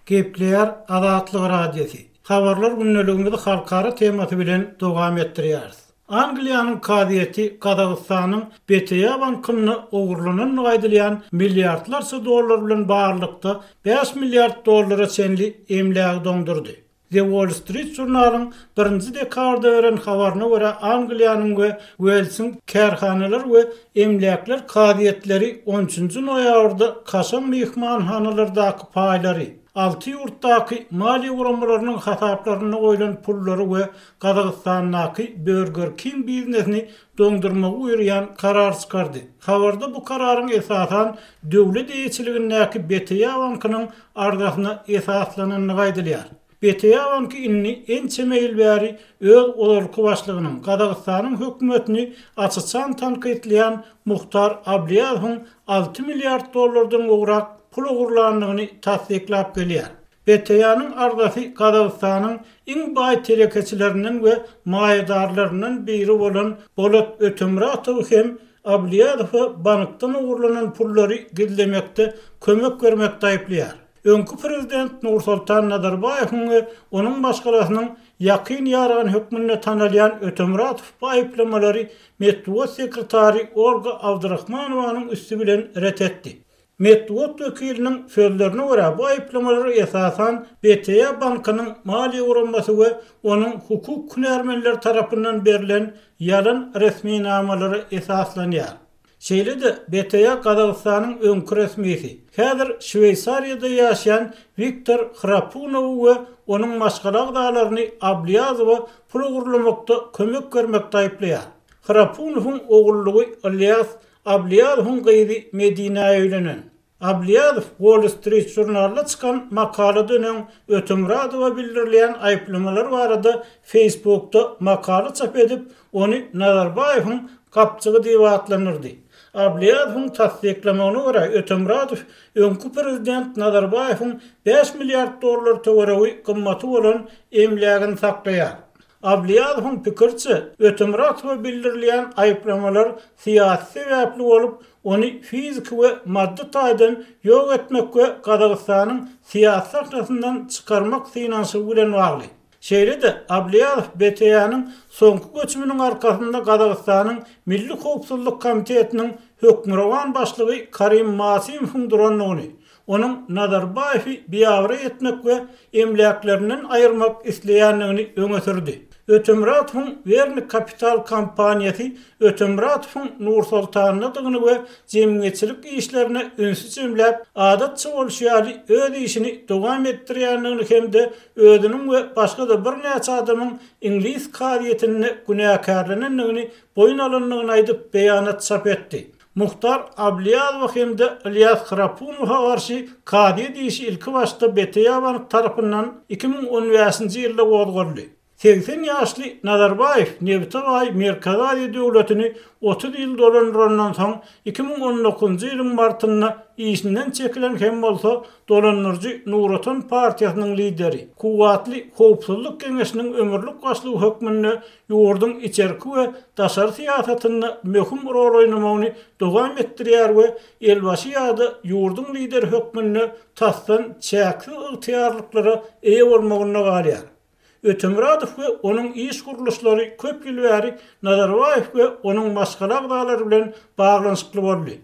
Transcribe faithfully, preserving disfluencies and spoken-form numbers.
Gepleýär Azatlyk Radiosy. Habarlar gündeligimizi halkara temasy bilen dowam etdirýäris. Angliýanyň kazyýeti Gazagystanyň B T A bankynda ogurlanandygy aýdylýan milliardlarça dollar bilen baglylykda bäş milliard dollara çenli emlägi doňdurdy. The Wall Street Journal'yň birinji dekabrda beren habaryna görä, Angliýanyň we Uelsiň kärhanalar we emläkler kazyýetleri on üçünji noýabrda kaşaň myhmanhanalardaky paýlary, alty ýurtdaky maliýe guramalarynyň hasaplarynda goýlan pullary we Gazagystandaky Burger King biznesini doňdurmagy buýurýan karar çykardy. Habarda bu kararyň esasan döwlet eýeçiligindäki B T A bankynyň arzasyna esaslanandygy aýdylýar. B T A banky indi ençeme ýyl bäri öz ozalky başlygynyň, Gazagystanyň hökümetini aç-açan tankytlaýan Muhtar Abliýazowyň alty milliard dollardan gowrak pul ogurlandygyny tassyklap gelýär. B T A-nyň arzasy Gazagystanyň iň baý telekeçilerinden we maýadarlaryndan biri bolan Bolat Ötemuratowy hem Abliýazowa bankdan ogurlanan pullary gizlemekde kömek bermekde aýyplaýar. Öňki prezident Nursultan Nazarbaýewiň we onuň maşgalasynyň ýakyn ýarany hökmünde tanalýan Ötemuratow bu aýyplamalary metbugat sekretary Olga Abdurahmanowanyň üsti bilen ret etdi. Metbugat wekiliniň sözlerine görä, bu aýyplamalar esasan B T A bankynyň maliýe guramasy we onuň hukuk hünärmenleri tarapyndan berlen ýalan resminamalara esaslanýar. Şeýle-de B T A Gazagystanyň öňki resmisi, häzir Şweýsariýada ýaşaýan Wiktor Hrapunowy we onuň maşgala agzalaryny Abliýazowa pul ogurlamakda kömek bermekde aýyplaýar. Hrapunowyň ogullygy Ilýas Abliýazowyň gyzy Medinä öýlenen. Abliýazow Wall Street Journalda çykan makaladan öň Ötemuradowa bildirilýän aýyplamalar barada Facebookda makala çap edip, ony Nazarbaýewiň gapjygy diýip atlandyrdy. Abliýazowyň tassyklamagyna görä, Ötemuradow öňki prezident Nazarbaýewiň bäş milliard dollar töweregi gymmaty bolan emlägini saklaýar. Abliýazowyň pikiriçe, Ötemuratowa bildirilýän aýyplamalar syýasy sebäpli bolup, ony fiziki we maddy taýdan ýok etmek we Gazagystanyň syýasy sahnasyndan çykarmak synanyşygy bilen bagly. Şeýle-de Abliýazow B T A-nyň soňky göçüminiň arkasynda Gazagystanyň Milli Howpsuzlyk Komitetiniň hökmürowan başlygy Karim Masimowyň durandygyny, onuň Nazarbaýewi biabraý etmek we emläklerinden aýyrmak isleýändigini öňe sürdi. Ötemuratowyň Werni Kapital kompaniýasy Ötemuratowyň Nursultandadygyny we jemgyýetçilik işlerine ünsi jemläp, adatça bolşy ýaly öz işini dowam etdirýändigini hem-de özüniň we başga-da birnäçe adamyň iňlis kazyýetinde günäkärlenendigini boýun alandygyny aýdyp beýanat çap etdi. Muhtar Abliýazow hem-de Ilýas Hrapunowa garşy kazyýet işi ilki başda B T A bank tarapyndan iki müň on bäşinji ýylda gozgaldy. Segsen ýaşly Nazarbaýew nebite baý Merkezi Aziýa döwletini otuz ýyl dolandyrandan soň iki müň on dokuzynjy ýylyň martynda işinden çekilen hem bolsa dolandyryjy Nur Otan partiýasynyň lideri, kuwwatly howpsuzlyk geňeşiniň ömürlik başlygy hökmünde ýurduň içerki we daşary syýasatynda möhüm rol oýnamagyny dowam etdirýär we elbaşy ýa-da ýurduň lideri hökmünde tasdan çäksiz ygtyýarlyklara eýe bolmagynda galýar. Ötemuradow we onuň iş gurluşlary köp ýyl bäri Nazarbaýew we onuň maşgala agzalary bilen baglanyşykly boldy.